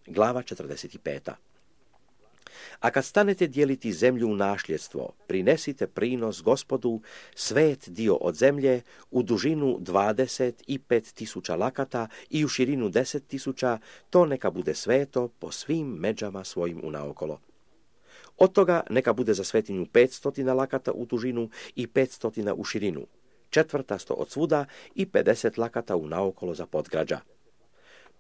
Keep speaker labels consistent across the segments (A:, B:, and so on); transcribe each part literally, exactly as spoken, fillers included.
A: Glava četrdeset pet. A kad stanete dijeliti zemlju u nasljedstvo, prinesite prinos Gospodu svet dio od zemlje u dužinu dvadeset pet tisuća lakata i u širinu deset tisuća, to neka bude sveto po svim međama svojim unaokolo. Od toga neka bude za svetinju petsto lakata u dužinu i petsto u širinu, četvrtasto od svuda i pedeset lakata unaokolo za podgrađa.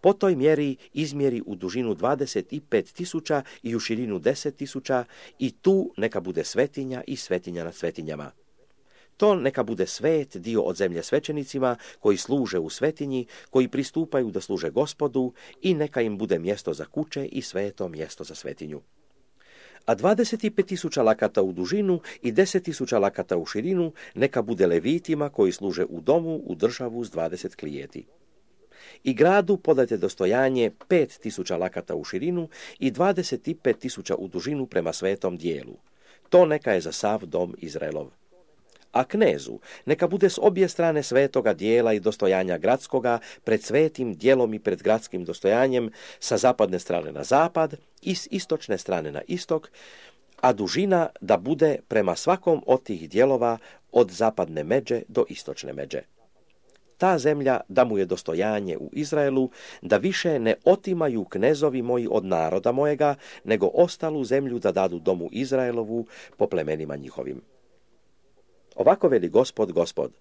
A: Po toj mjeri izmjeri u dužinu dvadeset pet tisuća i u širinu deset tisuća i tu neka bude svetinja i svetinja nad svetinjama. To neka bude svet dio od zemlje svećenicima koji služe u svetinji, koji pristupaju da služe Gospodu i neka im bude mjesto za kuće i sveto mjesto za svetinju. A dvadeset pet tisuća lakata u dužinu i deset tisuća lakata u širinu neka bude levitima koji služe u domu u državu s dvadeset klijeti. I gradu podajte dostojanje pet tisuća lakata u širinu i dvadeset pet tisuća u dužinu prema svetom dijelu. To neka je za sav dom Izraelov. A knezu neka bude s obje strane svetoga dijela i dostojanja gradskoga pred svetim dijelom i pred gradskim dostojanjem sa zapadne strane na zapad i s istočne strane na istok, a dužina da bude prema svakom od tih dijelova od zapadne međe do istočne međe. Ta zemlja da mu je dostojanje u Izraelu, da više ne otimaju knezovi moji od naroda mojega, nego ostalu zemlju da dadu domu Izraelovu po plemenima njihovim. Ovako veli Gospod, Gospod,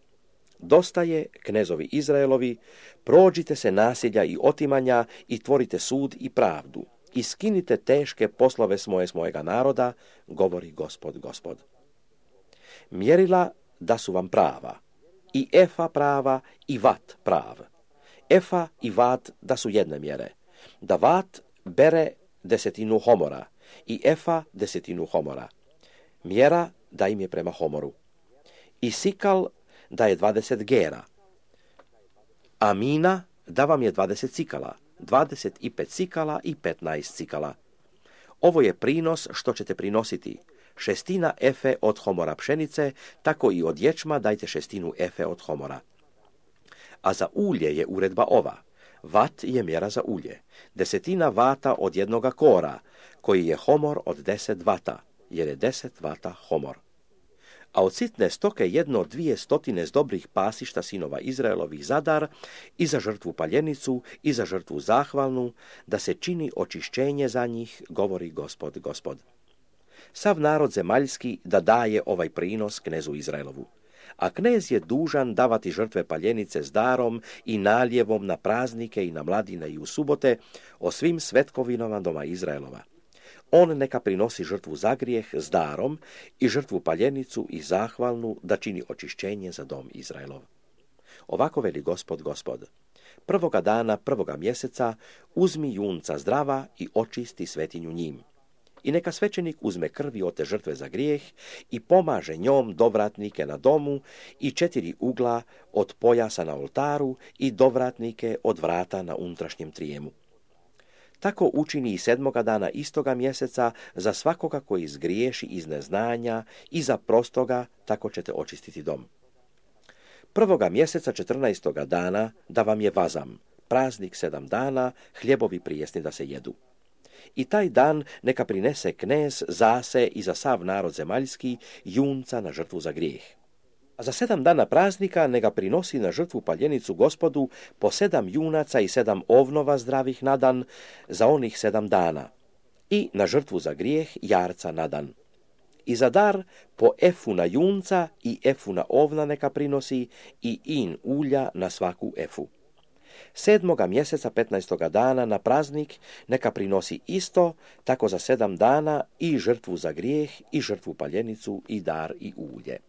A: dosta je, knezovi Izraelovi, prođite se nasilja i otimanja i tvorite sud i pravdu i skinite teške poslove s moje s mojega naroda, govori Gospod, Gospod. Mjerila da su vam prava, i efa prava i vat prav. Efa i vat da su jedne mjere, da vat bere desetinu homora i efa desetinu homora. Mjera da im je prema homoru. I sikal da je dvadeset gera. A mina da vam je dvadeset cikala, dvadeset pet cikala i petnaest cikala. Ovo je prinos što ćete prinositi. Šestina efe od homora pšenice, tako i od ječma dajte šestinu efe od homora. A za ulje je uredba ova. Vat je mjera za ulje. Desetina vata od jednoga kora, koji je homor od deset vata, jer je deset vata homor. A od sitne stoke jedno od dvije stotine z dobrih pasišta sinova Izraelovih zadar i za žrtvu paljenicu i za žrtvu zahvalnu, da se čini očišćenje za njih, govori Gospod, Gospod. Sav narod zemaljski da daje ovaj prinos knezu Izraelovu. A knez je dužan davati žrtve paljenice s darom i naljevom na praznike i na mladine i u subote o svim svetkovinama doma Izraelova. On neka prinosi žrtvu za grijeh s darom i žrtvu paljenicu i zahvalnu da čini očišćenje za dom Izraelov. Ovako veli Gospod, Gospod. Prvoga dana, prvoga mjeseca, uzmi junca zdrava i očisti svetinju njim. I neka svećenik uzme krvi od te žrtve za grijeh i pomaže njom dovratnike na domu i četiri ugla od pojasa na oltaru i dovratnike od vrata na unutrašnjem trijemu. Tako učini i sedmoga dana istoga mjeseca za svakoga koji zgriješi iz neznanja i za prostoga, tako ćete očistiti dom. Prvoga mjeseca četrnaestoga dana da vam je vazam, praznik sedam dana, hljebovi prijesni da se jedu. I taj dan neka prinese knez zase i za sav narod zemaljski junca na žrtvu za grijeh. A za sedam dana praznika neka prinosi na žrtvu paljenicu Gospodu po sedam junaca i sedam ovnova zdravih na dan za onih sedam dana i na žrtvu za grijeh jarca na dan. I za dar po efu na junca i efu na ovna neka prinosi i in ulja na svaku efu. Sedmoga mjeseca petnaestoga dana na praznik neka prinosi isto, tako za sedam dana i žrtvu za grijeh i žrtvu paljenicu i dar i ulje.